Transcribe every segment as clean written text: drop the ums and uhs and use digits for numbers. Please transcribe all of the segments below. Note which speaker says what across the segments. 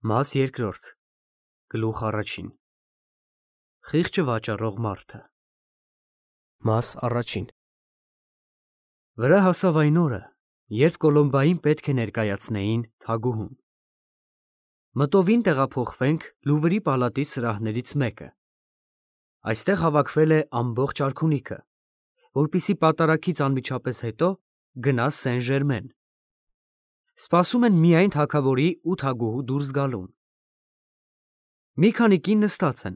Speaker 1: Մաս երկրորդ, գլուխ առաջին, խիղճը վաճառող մարդը։ Մաս առաջին։ Վրա հասավ այն օրը, երբ Կոլոմբային պետք է ներկայացնեին թագուհուն։ Մտովին տեղափոխվենք Լուվրի պալատի սրահներից մեկը։ Այստեղ հավաքվել է ամբողջ արքունիքը, որպեսզի պատարագից անմիջապես հետո գնա Սեն-Ժերմեն։ Սպասում են միայն թագավորի ու թագուհու դուրս գալուն։ Մի քանի կին նստած են,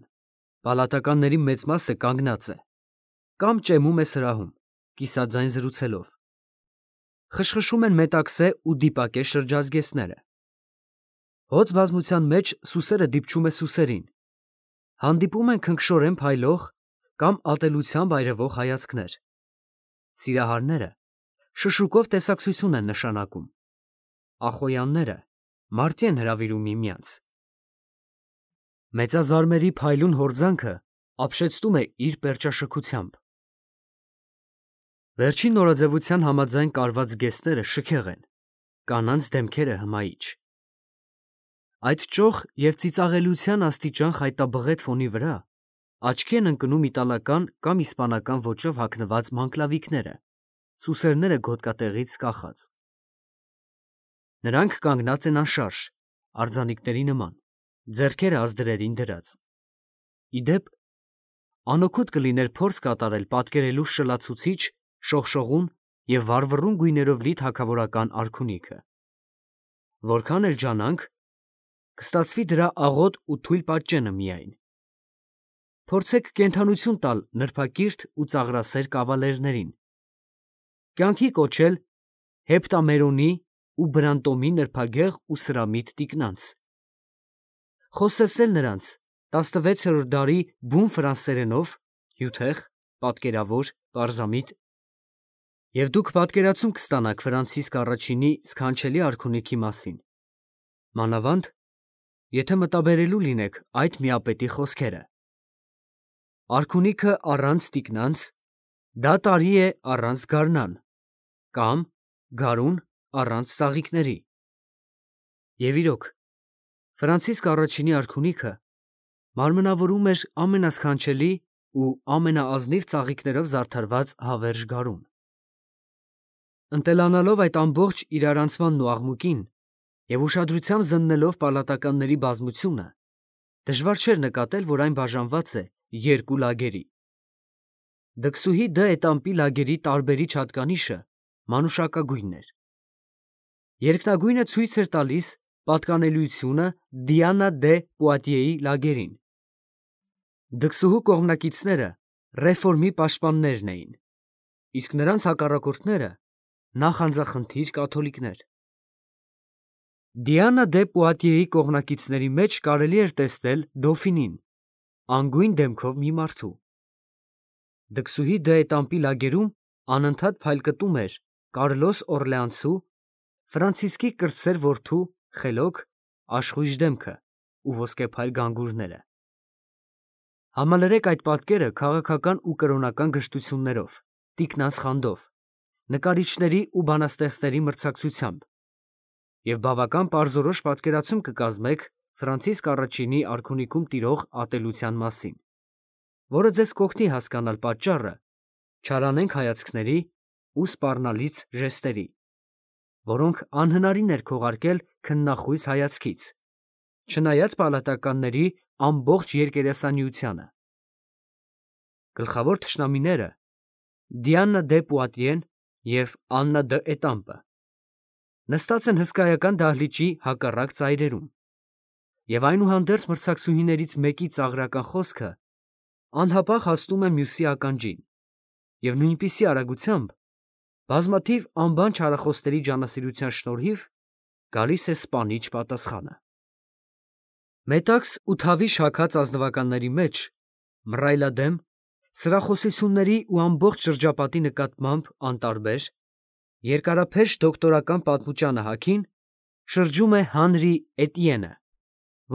Speaker 1: պալատականների մեծ մասը կանգնած է, կամ ճեմում է սրահում, կիսաձայն զրուցելով։ Խշխշում են մետաքսե ու դիպակե շրջազգեստները։ Հոծ բազմության մեջ սուսերը դիպչում է սուսերին։ Հանդիպում են քնքշորեն փայլող կամ ատելությամբ այրվող հայացքներ։ Սիրահարները շշուկով տեսակցություն են նշանակում։ Ախոյանները մարդի են հրավիրում միմյանց։ Մեծազարմերի փայլուն հորձանքը ապշեցնում է իր պերճաշքությամբ։ Վերջին նորաձևության համաձայն կարված գեստները շքեղ են, կանանց դեմքերը հմայիչ։ Այդ ճոխ և ծիծաղելիության աստիճան խայտաբղետ ֆոնի վրա աչքի են ընկնում իտալական կամ իսպանական ոճով հագնված մանկլավիկները, սուսերները գոտկատեղից կախած։ Նրանք կանգնած են անշարժ, արձանիկների նման, ձեռքերը ազդրերին դրած։ Ի դեպ, անօգուտ կլիներ փորձ կատարել պատկերելու շլացուցիչ, շողշողուն և վառվռուն գույներով լի թագավորական արքունիքը։ Որքան էլ ջանանք, կստացվի դրա աղոտ ու թույլ պատճենը միայն։ Փորձեք կենդանություն տալ նրբակիրթ ու ծաղրասեր կավալերներին, կյանքի կոչել Հեպտամերոնի ու Բրանտոմի նրբագեղ ու սրամիտ տիկնանց, խոսեցնել նրանց 16-րդ դարի բուն ֆրանսերենով, հյութեղ, պատկերավոր, պարզամիտ, և դուք պատկերացում կստանաք Ֆրանցիսկ առաջինի սքանչելի արքունիքի մասին, մանավանդ, եթե մտաբերելու լինեք այդ միապետի խոսքերը. արքունիքը առանց տիկնանց, դա տարի է առանց գարնան, կամ գարուն առանց ծաղիկների։ Եվ իրոք, Ֆրանցիսկ առաջինի արքունիքը մարմնավորում էր ամենասքանչելի ու ամենաազնիվ ծաղիկներով զարդարված հավերժ գարուն։ Ընտելանալով այդ ամբողջ իրարանցմանն ու աղմուկին և ուշադրությամբ զննելով պալատականների բազմությունը, դժվար չէր նկատել, որ այն բաժանված է երկու լագերի։ Դքսուհի Դ. Էտամպի լագերի տարբերիչ հատկանիշը մանուշակագույնն էր։ Երկնագույնը ցույց էր տալիս պատկանելիությունը Դիանա դե Պուատիեի լագերին։ Դքսուհու կողմնակիցները ռեֆորմի պաշտպաններն էին, իսկ նրանց հակառակորդները նախանձախնդիր կաթոլիկներ։ Դիանա դե Պուատիեի կողմնակիցների մեջ կարելի էր տեսնել Դոֆինին, անգույն դեմքով մի մարդու։ Դքսուհի Դ. Էտամպի լագերում անընդհատ փայլկտում էր Կարլոս Օրլեանցու, Ֆրանցիսկի կրտսեր որդու խելոք, աշխույժ դեմքը ու ոսկեփայլ գանգուրները։ Համալրեք այդ պատկերը քաղաքական ու կրոնական գժտություններով, տիկնանց խանդով, նկարիչների ու բանաստեղծների մրցակցությամբ, և բավական պարզորոշ պատկերացում կկազմեք Ֆրանցիսկ առաջինի արքունիքում տիրող ատելության մասին, որը ձեզ կօգնի հասկանալ պատճառը չարանենգ հայացքների ու սպառնալից ժեստերի, որոնք անհնարին էր քողարկել քննախույս հայացքից, չնայած պալատականների ամբողջ երկերեսանիությանը։ Գլխավոր թշնամիները Դիանա դե Պուատիեն և Աննա Դ. Էտամպը նստած են հսկայական դահլիճի հակառակ ծայրերում, և այնուհանդերձ մրցակցուհիներից մեկի ծաղրական խոսքը անհապաղ հասնում է մյուսի ականջին, և նույնպիսի արագությամբ, բազմաթիվ անբան չարախոսների ջանասիրության շնորհիվ, գալիս է սպանիչ պատասխանը։ Մետաքս ու թավիշ հագած ազնվականների մեջ մռայլադեմ, սրախոսությունների ու ամբողջ շրջապատի նկատմամբ անտարբեր, երկարափեշ դոկտորական պատմուճանը հագին շրջում է Հանրի Էտիենը,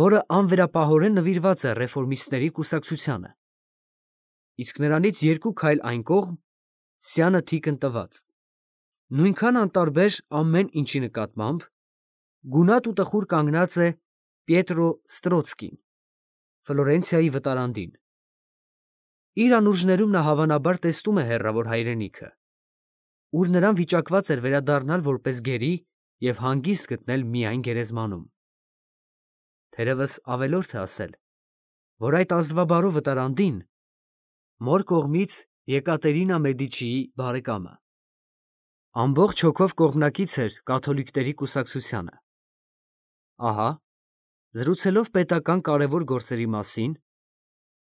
Speaker 1: որը անվերապահորեն նվիրված է ռեֆորմիստների կուսակցությանը, իսկ նրանից երկու քայլ այն կողմ սյանը թիկն տված, նույնքան անտարբեր ամեն ինչի նկատմամբ, գունատ ու տխուր կանգնած է Պիետրո Ստրոցկին, Ֆլորենցիայի վտարանդին։ Իր անուրջներում նա հավանաբար տեսնում է հեռավոր հայրենիքը, ուր նրան վիճակված էր վերադառնալ որպես գերի և հանգիստ գտնել միայն գերեզմանում։ Թերևս ավելորդ է ասել, որ այդ ազնվաբարո վտարանդին մոր կողմից Եկատերինա Մեդիչիի բարեկամը ամբողջ հոգով կողմնակից էր կաթոլիկների կուսակցությանը։ Ահա, զրուցելով պետական կարևոր գործերի մասին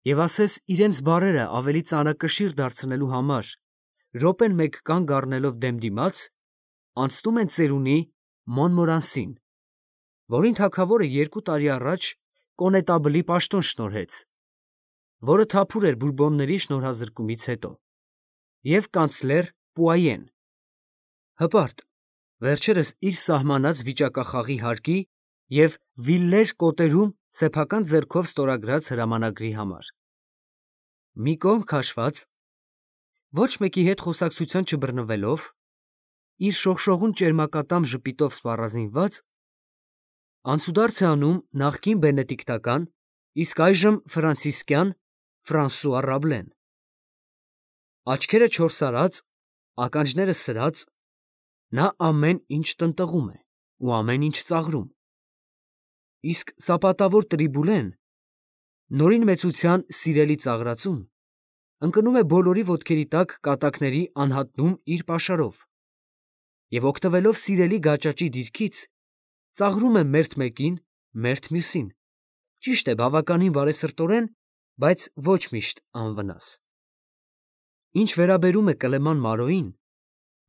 Speaker 1: և ասես իրենց բառերը ավելի ծանրակշիռ դարձնելու համար րոպեն մեկ կանգ առնելով դեմ դիմաց, անցնում են ծերունի Մոնմորանսին, որին թագավորը 2 տարի առաջ կոնետաբլի պաշտոն շնորհեց, որը թափուր էր բուրբոնների շնորհազրկումից հետո, և կանցլեր Պուայեն, հպարտ, վերջերս իր սահմանած վիճակախաղի հարկի և Վիլլեր կոտերում սեփական ձեռքով ստորագրած հրամանագրի համար։ Մի կողմ քաշված, ոչ մեկի հետ խոսակցության չբռնվելով, իր շողշողուն ճերմակատամ ժպիտով սպառազինված, անցուդարձ է անում նախկին բենեդիկտական, իսկ այժմ ֆրանցիսկյան Ֆրանսուଆ Ռաբլեն։ Աչքերը չորսարած, ականջները սրած, նա ամեն ինչ տնտղում է ու ամեն ինչ ծաղրում։ Իսկ սապատավոր Տրիբուլեն, նորին մեծության սիրելի ծաղրածուն, ընկնում է բոլորի ոտքերի տակ կատակների անհատնում իր պաշարով և օգտվելով սիրելի գաճաճի դիրքից, ծաղրում է մերթ մեկին, մերթ մյուսին, ճիշտ է բավականին բարեսրտորեն, բայց ոչ միշտ անվնաս։ Ինչ վերաբերում է Կլեման Մարոյին,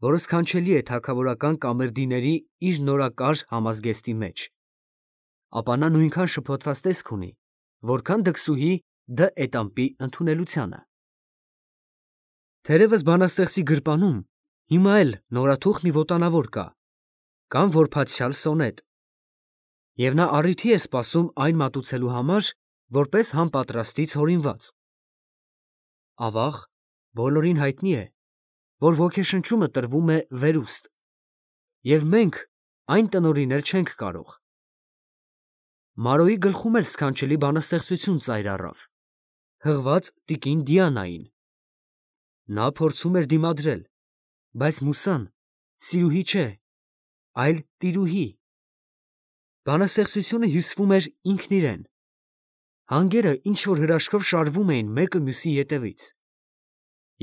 Speaker 1: որը սքանչելի է թագավորական կամերդիների իր նորակար համազգեստի մեջ, ապա նա նույնքան շփոթված տեսք ունի, որքան դքսուհի Դ. Էտամպի ընդունելությանը։ Թերևս բանաստեղծի գրպանում հիմա էլ նորաթուխ մի ոտանավոր կա, կամ որբացյալ սոնետ, և նա առիթի է սպասում այն մատուցելու համար, որպես համապատրաստից հորինված։ Ավաղ, բոլորին հայտնի է, որ ոգեշնչումը տրվում է վերուստ, և մենք այն տնօրինել չենք կարող։ Մարոյի գլխում էլ սքանչելի բանաստեղծություն ծայր առավ, հղված տիկին Դիանային։ Նա փորձում էր դիմադրել, բայց Մուսան սիրուհի չէ, այլ տիրուհի։ Բանաստեղծությունը հյուսվում էր ինքն իրեն։ Հանգերը ինչ-որ հրաշքով շարվում էին մեկը մյուսի ետևից։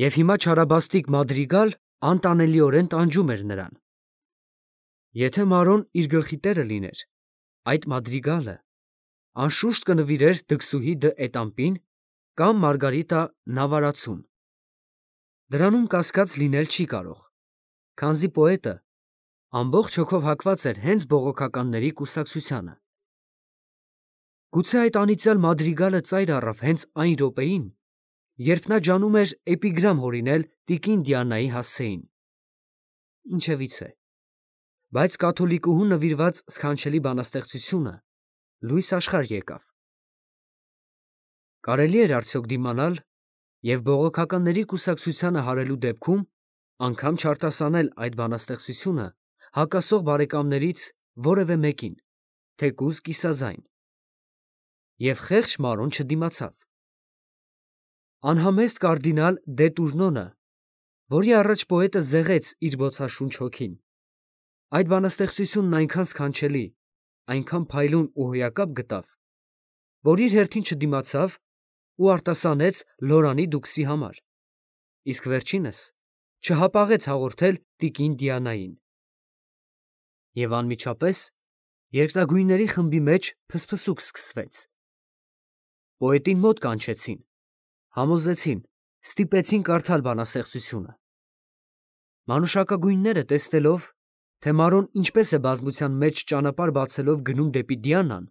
Speaker 1: Եվ հիմա չարաբաստիկ մադրիգալ անտանելիորեն տանջում էր նրան։ Եթե Մարոն իր գլխի տերը լիներ, այդ մադրիգալը անշուշտ կնվիրեր դքսուհի Դ. Էտամպին կամ Մարգարիտա Նավարացուն։ Դրանում կասկած լինել չի կարող, քանզի պոետը ամբողջ հոգով հակված էր հենց բողոքականների կուսակցությանը։ Գուցե այդ անիծյալ մադրիգալը ծայր առավ հենց այն րոպեին, երբ նա ջանում էր էպիգրամ հորինել տիկին Դիանայի հասցեին։ Ինչևիցե, բայց կաթոլիկուհու նվիրված սքանչելի բանաստեղծությունը լույս աշխարհ եկավ։ Կարելի էր արդյոք դիմանալ և բողոքականների կուսակցությանը հարելու դեպքում անգամ չարտասանել այդ բանաստեղծությունը հակասող բարեկամներից որևէ մեկին, թեկուզ կիսաձայն։ Եվ խեղճ Մարոն չդիմացավ։ Անհամեստ կարդինալ Դե Տուրնոնը, որի առաջ պոետը զեղեց իր բոցաշունչ հոգին, այդ բանաստեղծությունն այնքան սքանչելի, այնքան փայլուն ու հոյակապ գտավ, որ իր հերթին չդիմացավ ու արտասանեց Լորանի դուքսի համար, իսկ վերջինս չհապաղեց հաղորդել տիկին Դիանային։ Եվ անմիջապես երկնագույնների խմբի մեջ փսփսուկ սկսվեց։ Պոետին մոտ կանչեցին, համոզեցին, ստիպեցին կարդալ բանաստեղծությունը։ Մանուշակագույնները տեսնելով, թե Մարոն ինչպես է բազմության մեջ ճանապարհ բացելով գնում դեպի Դիանան,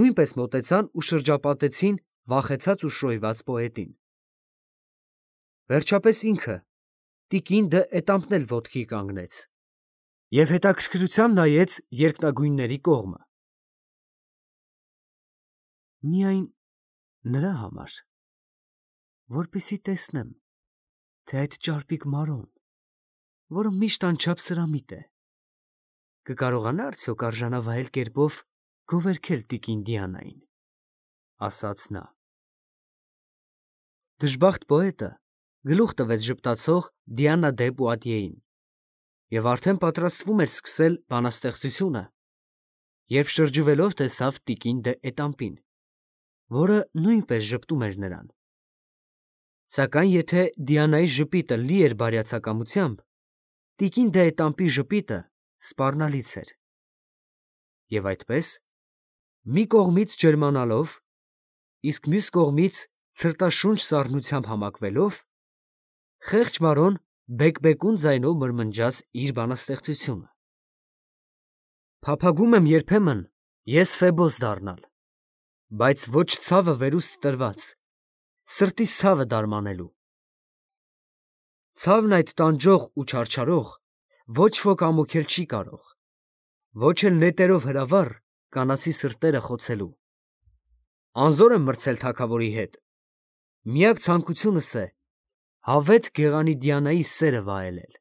Speaker 1: նույնպես մոտեցան ու շրջապատեցին վախեցած ու շոյված պոետին։ Վերջապես ինքը, տիկին Դ. Էտամպն էլ ոտքի կանգնեց և հետաքրքրությամբ նայեց երկնագույնների կողմը։ Միայն նրա համար, որպեսզի տեսնեմ, թե այդ ճարպիկ Մարոն, որը միշտ անչափ սրամիտ է, կկարողանա արդյոք արժանավայել կերպով գովերքել տիկին Դիանային, ասաց նա։ Դժբախտ պոետը գլուխ տվեց ժպտացող Դիանա դե Պուատիեին և արդեն պատրաստվում էր սկսել բանաստեղծությունը, երբ շրջվելով տեսավ տիկին դե Էտամպին, որը նույնպես ժպտում էր նրան։ Սակայն եթե Դիանայի ժպիտը լի էր բարյացակամությամբ, տիկին դե Էտամպի ժպիտը սպառնալից էր։ Եվ այդպես, մի կողմից ջերմանալով, իսկ մյուս կողմից ցրտաշունչ սառնությամբ համակվելով, խեղճ Մարոն բեկբեկուն ձայնով մրմնջաց իր բանաստեղծությունը. Փափագում եմ երբեմն ես Ֆեբոս դառնալ, բայց ոչ ցավը վերուստ տրված, սրտիս ցավը դարմանելու։ Ցավն այդ տանջող ու չարչարող ոչ ոք ամոքել չի կարող, ոչ էլ նետերով հրավառ կանացի սրտերը խոցելու։ Անզոր եմ մրցել թագավորի հետ, միակ ցանկությունս է հավետ գեղանի Դիանայի սերը վայելել։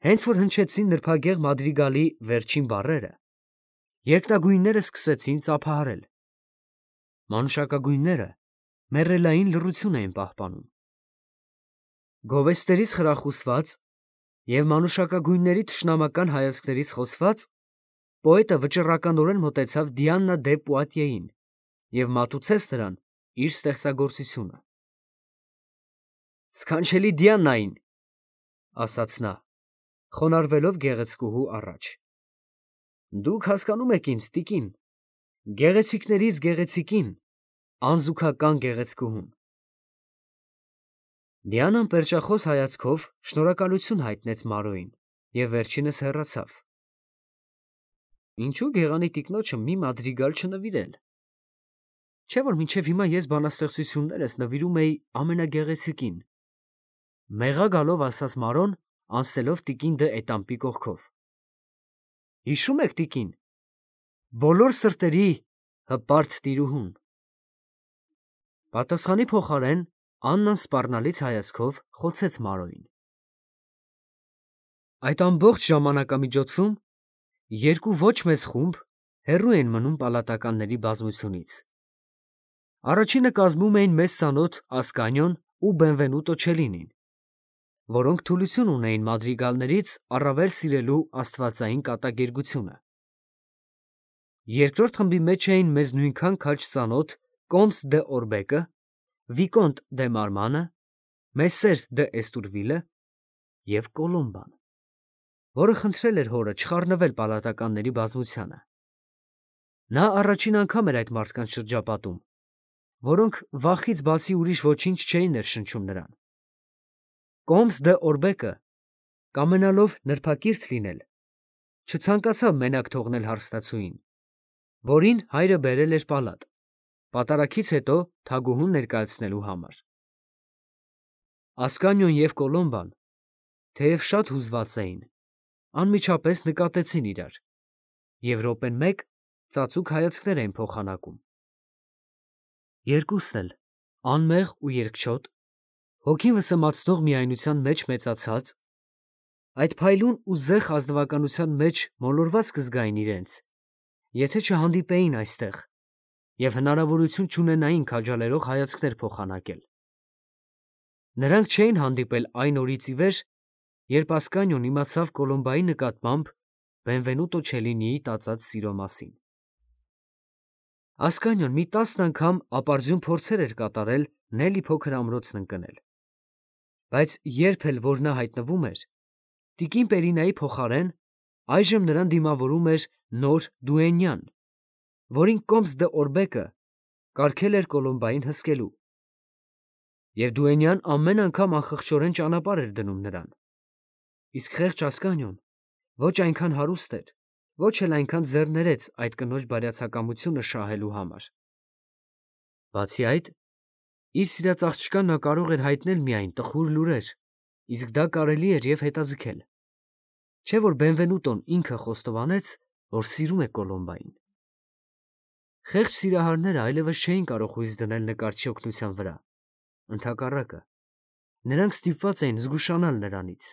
Speaker 1: Հենց որ հնչեցին նրբագեղ մադրիգալի վերջին բառերը, երկնագույնները սկսեցին ծափահարել։ Մանուշակագույնները մեռելային լռություն էին պահպանում։ Գովեստերից խրախուսված և մանուշակագույնների թշնամական հայացքներից խոցված, պոետը վճռականորեն մոտեցավ Դիանա դե Պուատիեին և մատուցեց նրան իր ստեղծագործությունը։ Սքանչելի Դիանային, ասաց նա, խոնարհվելով գեղեցկուհու առաջ, դուք հասկանում եք ինձ, տիկին, գեղեցիկներից գեղեցիկին, անզուգական գեղեցկուհուն։ Դիանան պերճախոս հայացքով շնորհակալություն հայտնեց Մարոյին և վերջինս հեռացավ։ Ինչու գեղանի տիկնոջը մի մադրիգալ չնվիրել։ Չէ՞ որ մինչև հիմա ես բանաստեղծություններս նվիրում էի ամենագեղեցիկին, մեղա գալով ասաց Մարոն, անցնելով տիկին դե Էտամպի կողքով։ Հիշո՞ւմ եք, տիկին, բոլոր սրտերի հպարտ տիրուհուն։ Պատասխանի փոխարեն Աննան սպառնալից հայացքով խոցեց Մարոյին։ Այդ ամբողջ ժամանակամիջոցում երկու ոչ մեծ խումբ հեռու էին մնում պալատականների բազմությունից։ Առաջինը կազմում էին մեզ ծանոթ Ասկանիոն ու Բենվենուտո Չելինին, որոնք թուլություն ունեին մադրիգալներից առավել սիրելու աստվածային կատակերգությունը։ Երկրորդ խմբի մեջ էին մեզ նույնքան քաջ ծանոթ Կոմս դե Օրբեկը, Վիկոնտ դե Մարմանը, Մեսսեր դե Էստուրվիլը և Կոլոմբան, որը խնդրել էր հորը չխառնվել պալատականների բազմությանը։ Նա առաջին անգամ էր այդ մարդկանց շրջապատում, որոնք վախից բացի ուրիշ ոչինչ չէին ներշնչում նրան։ Կոմս դե Օրբեկը, կամենալով նրբակիրթ լինել, չցանկացավ մենակ թողնել հարստացուին, որին հայրը բերել էր պալատ, պատարագից հետո թագուհուն ներկայացնելու համար։ Ասկանիոն և Կոլոմբան, թեև շատ հուզված էին, անմիջապես նկատեցին իրար և րոպեն մեկ ծածուկ հայացքներ էին փոխանակում։ Երկուսն էլ, անմեղ ու երկչոտ, հոգին վսեմացնող միայնության մեջ մեծացած, այդ փայլուն ու զեղ ազնվականության մեջ մոլորված կզգային իրենց, եթե չհանդիպեին այստեղ և հնարավորություն չունենային քաջալերող հայացքներ փոխանակել։ Նրանք չէին հանդիպել այն օրից ի վեր, երբ Ասկանիոն իմացավ Կոլոմբայի նկատմամբ Բենվենուտո Չելինիի տածած սիրո մասին։ Ասկանիոն մի 10 անգամ ապարդյուն փորձեր էր կատարել Նելի փոքր ամրոցն ընկնել, բայց երբ էլ որ նա հայտնվում էր, տիկին Պերինայի փոխարեն այժմ նրան դիմավորում էր նոր դուենյան, որին Կոմս դե Օրբեկը կարգել էր Կոլոմբային հսկելու, և դուենյան ամեն անգամ անխղճորեն ճանապարհ էր դնում նրան, իսկ խեղճ Ասկանիոն ոչ այնքան հարուստ էր, ոչ էլ այնքան ձեռներեց այդ կնոջ բարյացակամությունը շահելու համար։ Բացի այդ, իր սիրած աղջկան նա կարող էր հայտնել միայն տխուր լուրեր, իսկ դա կարելի էր և հետաձգել, չէ՞ որ Բենվենուտոն ինքը խոստովանեց, որ սիրում է Կոլոմբային։ Խեղճ սիրահարները այլևս չէին կարող հույս դնել նկարչի օգնության վրա, ընդհակառակը, նրանք ստիպված էին զգուշանալ նրանից։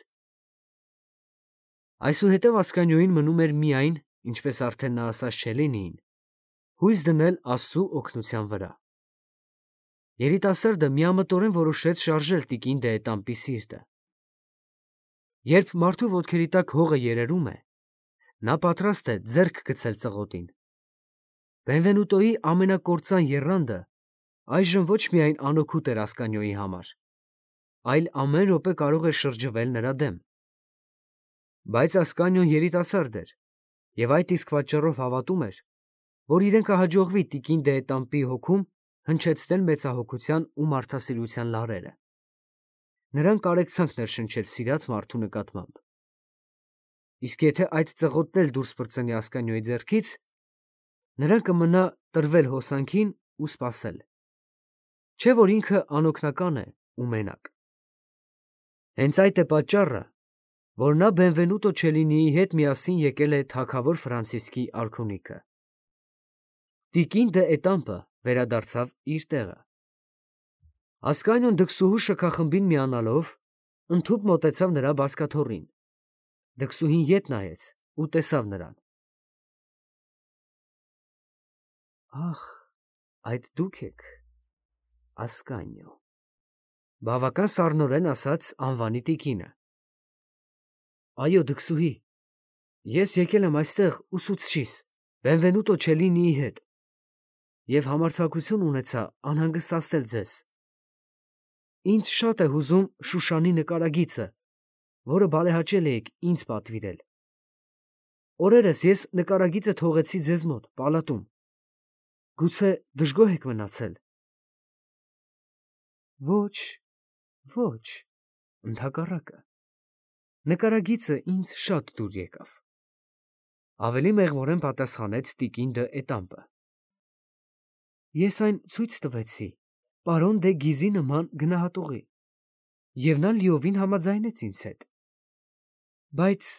Speaker 1: Այսուհետև Ասկանիոյին մնում էր միայն ինչպես արդեն նա ասաց Չելինիին, հույս դնել Աստծու օգնության վրա։ Երիտասարդը միամտորեն որոշեց շարժել տիկին դեետամպի սիրտը։ Երբ մարդու ոտքերի տակ հողը երերում է, նա պատրաստ է ձեռք գցել ծղոտին։ Բենվենուտոյի ամենակործան եռանդը այժմ ոչ միայն անօգուտ էր Ասկանյոյի համար, այլ ամեն րոպե կարող էր շրջվել նրա դեմ։ Բայց Ասկանյոն երիտասարդ էր և այդ իսկ պատճառով հավատում էր, որ իրեն կհաջողվի տիկին դեետամպի հոգում հնչեցնել մեծահոգության ու մարդասիրության լարերը։ Նրան կարեկցանք ներշնչել սիրած մարդու նկատմամբ։ Իսկ եթե այդ ծղոտն էլ դուրս պրծնի Ասկանյոյի ձեռքից, նրան կմնա տրվել հոսանքին ու սպասել։ Չէ՞ որ ինքը անօգնական է ու մենակ։ Հենց այդ է պատճառը, որ նա Բենվենուտո Չելինիի հետ միասին եկել է թագավոր Ֆրանցիսկի արքունիքը։ Տիկին դե Էտամպը վերադարձավ իր տեղը։ Ասկանյոն դքսուհու շքախմբին միանալով ընդհուպ մոտեցավ նրա բազկաթոռին։ Դքսուհին ետ նայեց ու տեսավ նրան։ Ախ, այդ դուք եք, Ասկանյո, բավական սառնորեն ասաց անվանի տիկինը։ Այո, դքսուհի, ես եկել եմ այստեղ ուսուցչիս, Բենվենուտո Չելինիի հետ, և համարձակություն ունեցա անհանգստացնել ձեզ։ Ինձ շատ է հուզում Շուշանի նկարագիծը, որը բարեհաճել էիք ինձ պատվիրել։ Օրերս ես նկարագիծը թողեցի ձեզ մոտ, պալատում։ Գուցե դժգոհ եք մնացել։ Ոչ, ոչ, ընդհակառակը, նկարագիծը ինձ շատ դուր եկավ, ավելի մեղմորեն պատասխանեց տիկին դե Էտամպը։ Ես այն ցույց տվեցի պարոն դե Գիզի նման գնահատողի, և նա լիովին համաձայնեց ինձ հետ։ Բայց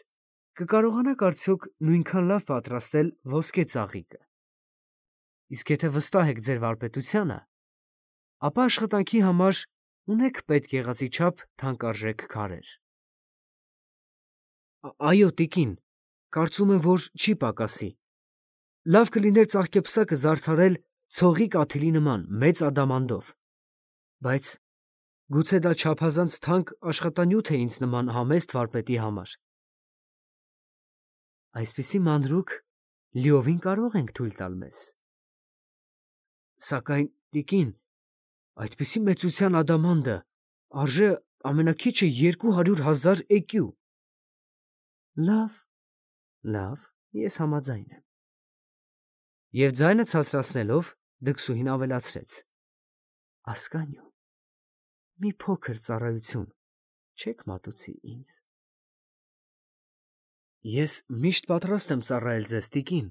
Speaker 1: կկարողանաք արդյոք նույնքան լավ պատրաստել ոսկե ծաղիկը։ Իսկ եթե վստահ եք ձեր վարպետությանը, ապա աշխատանքի համար ունեք պետք եղածի չափ թանկարժեք քարեր։ Այո, տիկին, կարծում եմ, որ չի պակասի։ Լավ կլիներ ծաղկեպսակը զարդարել ցողի կաթիլի նման մեծ ադամանդով, բայց գուցե դա չափազանց թանկ աշխատանյութ է ինձ նման համեստ վարպետի համար։ Այսպիսի մանրուք լիովին կարող ենք թույլ տալ մեզ։ Սակայն, տիկին, այդպիսի մեծության ադամանդը արժե ամենաքիչը 200,000 էկյու։ Լավ, լավ, ես համաձայն եմ։ Եվ ձայնը ցածրացնելով դքսուհին ավելացրեց. Ասկանյո, մի փոքր ծառայություն չեք մատուցի ինձ։ Ես միշտ պատրաստ եմ ծառայել ձեզ, տիկին։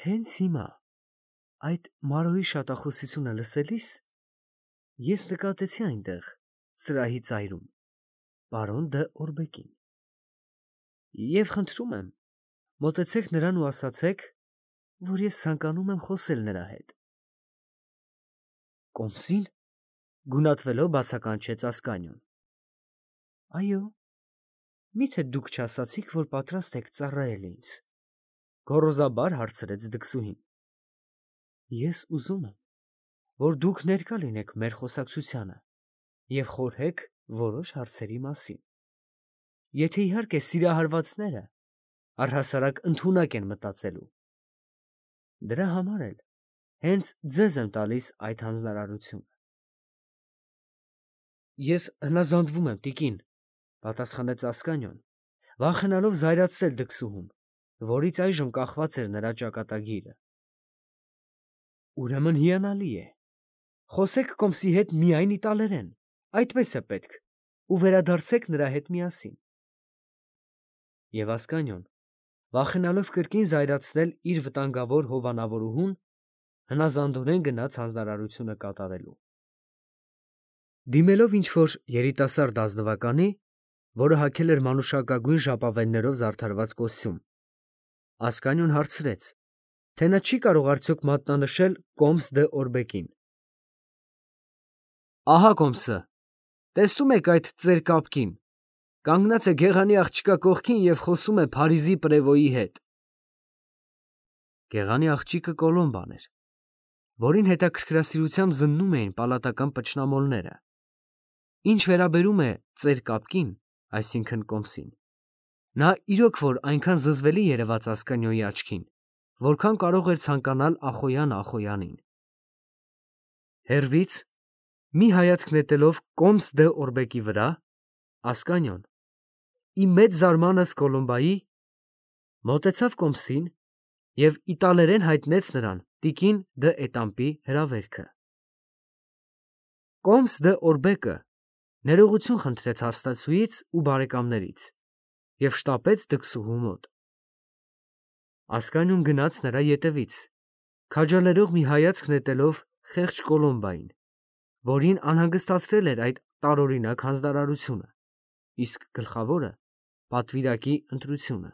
Speaker 1: Հենց հիմա, այդ Մարոյի շատախոսությունը լսելիս, ես նկատեցի այնտեղ, սրահի ծայրում, պարոն դը Օրբեկին։ Եվ խնդրում եմ, մոտեցեք նրան ու ասացեք, որ ես ցանկանում եմ խոսել նրա հետ։ Կոմսին, գունատվելով բացականչեց Ասկանյոն։ Այո, միթե դուք չասացիք, որ պատրաստ եք ծառայել ինձ, գոռոզաբար հարցրեց դքսուհին։ Ես ուզում եմ, որ դուք ներկա լինեք մեր խոսակցությանը և խորհեք որոշ հարցերի մասին։ Եթե իհարկե սիրահարվածները առհասարակ ընդունակ են մտածելու։ Դրա համար էլ հենց ձեզ եմ տալիս այդ հանձնարարությունը։ Ես հնազանդվում եմ, տիկին, պատասխանեց Ասկանյոն, վախենալով զայրացնել դքսուհուն, որից այժմ կախված էր նրա ճակատագիրը։ Ուրեմն հիանալի է։ Խոսեք Կոմսի հետ միայն իտալերեն, այդպես է պետք, ու վերադարձեք նրա հետ միասին։ Եվ Ասկանյոն, վախենալով կրկին զայրացնել իր վտանգավոր հովանավորուհուն, հնազանդորեն գնաց հանձնարարությունը կատարելու։ Դիմելով ինչ-որ երիտասարդ ազնվականի, որը հագել էր մանուշակագույն ժապավեններով զարդարված կոստյում, Ասկանյոն հարցրեց, թե նա չի կարող արդյոք մատնանշել Կոմս դե Օրբեկին։ Ահա Կոմսը, տեսնում եք այդ ծեր կապկին, Կանգնած է Գեղանի աղջկա կողքին և խոսում է Փարիզի պրևոյի հետ։ Գեղանի աղջիկը Կոլոմբան էր, որին հետաքրքրասիրությամբ զննում էին պալատական պճնամոլները։ Ինչ վերաբերում է ծեր կապկին, այսինքն Կոմսին, նա իրոք որ այնքան զզվելի երևաց Ասկանյոյի աչքին, որքան կարող էր ցանկանալ Ախոյանը Ախոյանին։ Հեռվից, մի հայացք նետելով Կոմս դը Օրբեկի վրա, Ասկանյոն, ի մեծ զարմանս Կոլոմբայի, մոտեցավ Կոմսին և իտալերեն հայտնեց նրան տիկին դը Էտամպի հրավերքը։ Կոմս դը Օրբեկը ներողություն խնդրեց հարստացուից ու բարեկամներից և շտապեց դքսուհու մոտ։ Ասկանյոն գնաց նրա ետևից, քաջալերող մի հայացք նետելով խեղճ Կոլոմբային, որին անհանգստացրել էր այդ տարօրինակ հանձնարարությունը, իսկ գլխավորը՝ պատվիրակի ընտրությունը։